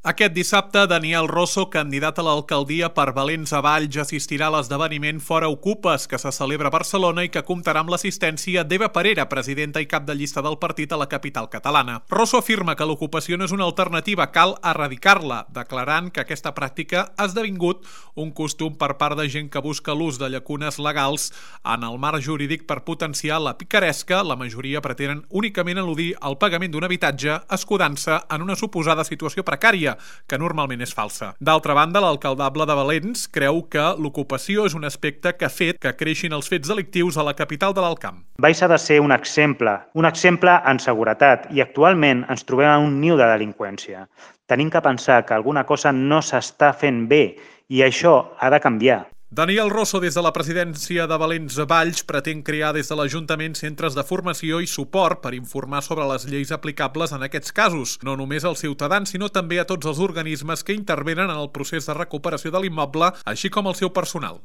Aquest dissabte, Daniel Rosso, candidat a l'alcaldia per Valens a Valls, assistirà a l'esdeveniment Fora Ocupes, que se celebra a Barcelona i que comptarà amb l'assistència d'Eva Parera, presidenta i cap de llista del partit a la capital catalana. Rosso afirma que l'ocupació no és una alternativa, cal erradicar-la, declarant que aquesta pràctica ha esdevingut un costum per part de gent que busca l'ús de llacunes legals en el marc jurídic per potenciar la picaresca. La majoria pretenen únicament eludir el pagament d'un habitatge, escudant-se en una suposada situació precària, que normalment és falsa. D'altra banda, l'alcaldable de Valens creu que l'ocupació és un aspecte que ha fet que creixin els fets delictius a la capital de l'Alt Camp. Valls ha de ser un exemple en seguretat, i actualment ens trobem en un niu de delinqüència. Tenim que pensar que alguna cosa no s'està fent bé i això ha de canviar. Daniel Rosso, des de la presidència de Valens a Valls, pretén crear des de l'Ajuntament centres de formació i suport per informar sobre les lleis aplicables en aquests casos, no només als ciutadans, sinó també a tots els organismes que intervenen en el procés de recuperació de l'immoble, així com al seu personal.